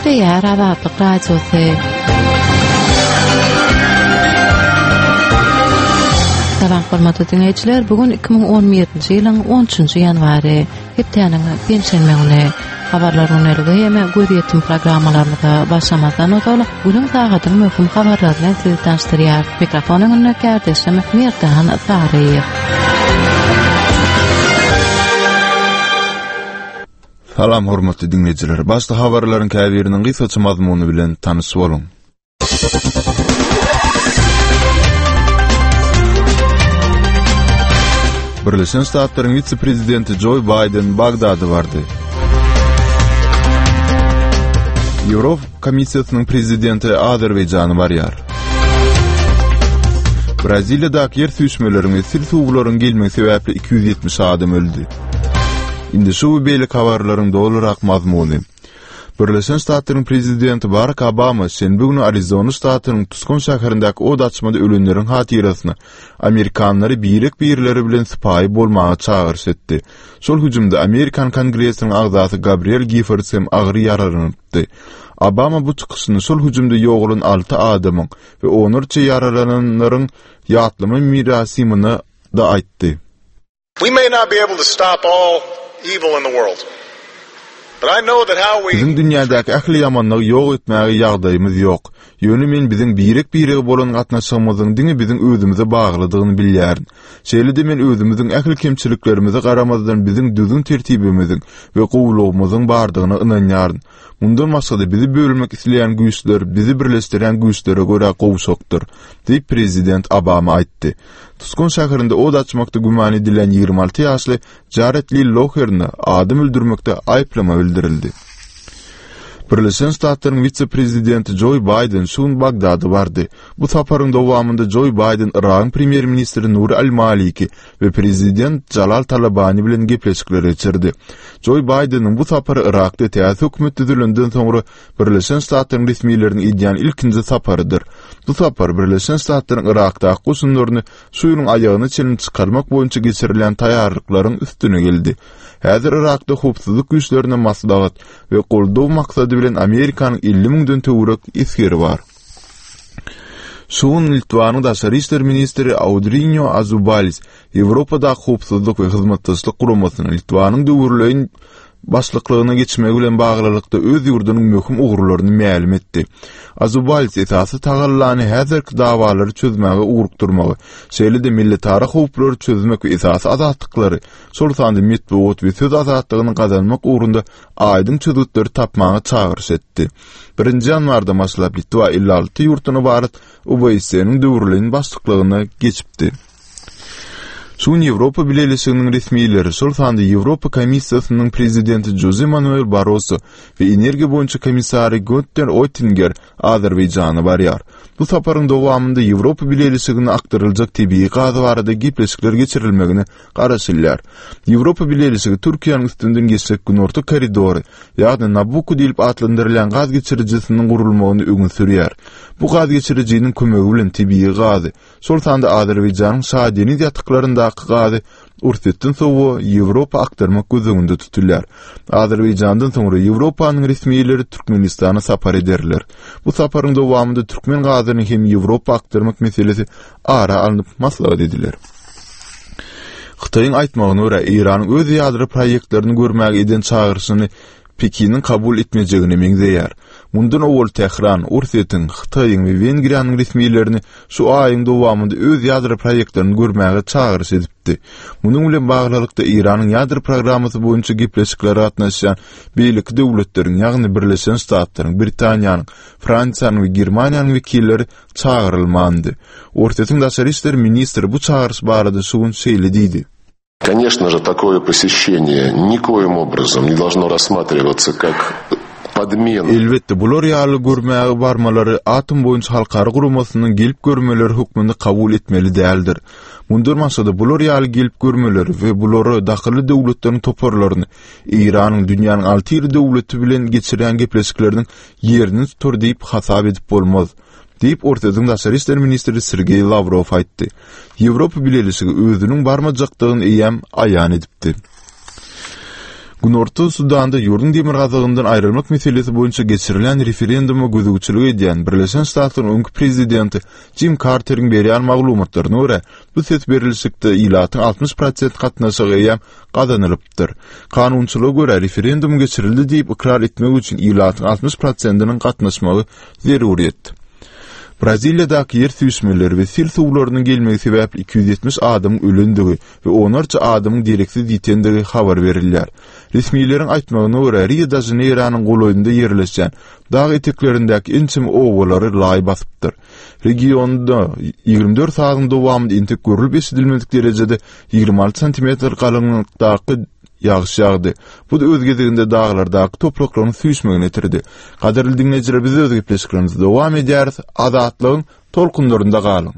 Gepleýär Azatlyk Radiosy. Salam hormatly diňleýjiler, bu gün 2011-nji ýylyň 13-nji ýanwary, hepdäniň penşenbe güni. Habarlar gündeligi hem gözýetim programmalarymyza başlamazdan ozal, günüň sagadyň möhüm habarlary bilen sizi tanyşdyrýar. Mikrofon öňünde kärdeşim Merdan Saryýew. Salam hormatly diňleýjiler. Başda habarlaryň käbiriniň gysgaça mazmuny bilen tanyş boluň. Birleşen Ştatlaryň wise-prezidenti Joe Baýden Bagdada bardy. Ýewropa Komissiýasynyň prezidenti Azerbaýjana barýar. Braziliýadaky ýer süýşmeleriň we sil suwlaryň gelmegi sebäpli 270 adam öldi. Indi şu we beýleki habarlaryň dolurak mazmuny. Birleşen Ştatlaryň prezidenti Barak Obama şenbe güni Arizona ştatynyň Tuskon şäherindäki od açmada ölenleriň hatyrasyna amerikanlary birek-birleri bilen sypaýy bolmaga çagyryş etdi. Şol hüjümde Amerikan Kongresiniň agzasy Gabriel Giffords hem agyr ýaralanypdy. Obama bu çykyşyny şol hüjümde ýogalan alty adamyň we onlarça ýaralananlaryň ýatlama merasiminde aýtdy. We may not be able to stop all evil in the world. But I know that how we Biziň dünýädäki ähli ýamanlygy ýok etmäge ýagdaýymyz ýok. Ýöne men biziň birek-birege bolan gatnaşygymyzyň diňe biziň özümize baglydygyny bilýärin. Şeýle-de men özümiziň ähli kemçiliklerimize garamazdan biziň düzgün-tertibimiziň we gowulygymyzyň bardygyna ynanýaryn. Mundan başga-da bizi bölmek isleýän güýçler bizi birleşdirýän güýçlere görä gowşakdyr, diýip, prezident Obama aýtdy. Tuskon şäherinde ot açmakda güman edilýän 26 ýaşly Jared Li Loherne adam öldürmekde aýyplama bildirildi. Birleşen Ştatlaryň wise-prezidenti Joe Baýden şu gün Bagdada bardy. Bu saparyň dowamynda Joe Baýden Yragyň premýer-ministri Nuri al-Maliki we prezident Jalal Talabani bilen gepleşikler geçirdi. Joe Baýdeniň bu sapary Yrakda täze hökümet düzülenden soňra Birleşen Ştatlaryň resmileriniň edýän ilkinji saparydyr. Bu sapar Birleşen Ştatlaryň Yrakdaky goşunlaryny şu ýylyň aýagyna çenli çykarmak boýunça geçirilýän taýýarlyklaryň üstüne geldi. Häzir Yrakda howpsuzlyk güýçlerine maslahat we goldaw maksady bilen Amerikanyň 50 müňden töwerek esgeri bar. Şu gün Litwanyň daşary işler ministri Audrinio Azubalis Ýewropadaky Howpsuzlyk we Hyzmatdaşlyk Guramasyna Litwanyň döwürleýin başlyklygyna geçmegi bilen baglylykda öz ýurdunyň möhüm ugurlaryny mälim etdi. Azubalis esasy tagallany häzirki dawalary çözmäge ugrukdyrmagy, şeýle-de milletara howplary çözmek we esasy azatlyklary, şol sanda metbugat we söz azatlygyny gazanmak ugrunda aýdyň çözgütleri tapmaga çagyryş etdi. Birinji ýanwardan başlap Litwa 56 ýurtdan ybarat OBSE-niň döwürleýin başlyklygyna geçipdi. Şu gün Ýewropa Bileleşiginiň resmileri, şol sanda Ýewropa Komissiýasynyň prezidenti Joze Manuel Barroso we energiýa boýunça komissary Günter Oettinger Azerbaýjana barýar. Bu saparyň dowamynda Ýewropa Bileleşigine akdyryljak tebigy gaz barada gepleşikler geçirilmegine garaşylýar. Ýewropa Bileleşigi Türkiýäniň üstünden geçjek Günorta koridory, ýagny Nabucco diýlip atlandyrylýan gaz geçirijisiniň gurulmagyny öňe sürýär. Bu gaz geçirijiniň kömegi bilen tebigy gazy, şol sanda Azerbaýjanyň Şah Deniz ýataklaryndaky gazy Orsýetden sowa Ýewropa akdyrmak göz öňünde tutulýar. Azerbaýjandan soňra Ýewropanyň resmileri Türkmenistana sapar ederler. Bu saparyň dowamynda türkmen gazyny hem Ýewropa akdyrmak meselesi ara alnyp maslahat ediler. Hytaýyň aýtmagyna görä, Eýranyň öz ýadro proýektlerini görmäge eden çagyryşyny Pekiniň kabul etmejegine meňzeýär. Mundan owal Tähran, Orsýetiň, Hytaýyň we Wengriýanyň resmilerini şu aýyň dowamynda öz ýadro proýektlerini görmäge çagyryş edipdi. Munuň bilen baglylykda, Eýranyň ýadro programmasy boýunça gepleşiklere gatnaşýan beýleki döwletleriň, ýagny Birleşen Ştatlaryň, Britaniýanyň, Fransiýanyň we Germaniýanyň wekilleri çagyrylmandy. Orsýetiň daşary işler ministri bu çagyryş barada şu gün şeýle diýdi. Конечно же, такое посещение никоим образом не должно рассматриваться как подмена. Elbetde, bular ýaly görmäge barmalary Atom boýunça halkara guramasynyň gelip görmeleri hökmünde kabul etmeli däldir. Mundan başga-da, bular ýaly gelip görmeleri we bulara dahylly döwletleriň toparlaryny Eýranyň dünýäniň alty iri döwleti bilen geçirýän gepleşikleriniň ýerini tutar diýip hasap edip bolmaz. Diýip, Orsýetiň daşary işler ministri Sergeý Lawrow aýtdy. Ýewropa Bileleşigi özüniň barmajakdygyny eýýäm aýan edipdi. Günorta Sudanda ýurduň demirgazygyndan aýrylmak meselesi boýunça geçirilen referenduma gözegçilik edýän Birleşen Ştatlaryň öňki prezidenti Jim Karteriň berýän maglumatlaryna görä, bu ses berilişikde ilatyň 60 prosent gatnaşygy eýýäm gazanylypdyr. Kanunçylyga görä, referendum geçirildi diýip ykrar etmek üçin ilatyň 60 prosentiniň gatnaşmagy zeruryýet. Braziliýadaky ýer süýşmeleri we sil suwlarynyň gelmegi sebäpli 270 adamyň ölendigi we onlarça adamyň dereksiz ýitendigi habar berilýär. Resmileriň aýtmagyna görä, Rio-de-Žaneýronyň golaýynda ýerleşýän dag eteklerindäki ençeme obalary laý basypdyr. Regionda 24 sagatyň dowamynda entek görlüp-eşidilmedik derejede 26 santimetr galyňlykdaky ýagyş ýagdy. Bu-da öz gezeginde daglardaky topraklaryň süýşmegine getirdi. Gadyrly diňleýjiler, biz öz gepleşiklerimizi dowam edýäris. Azatlygyň tolkunlarynda galyň!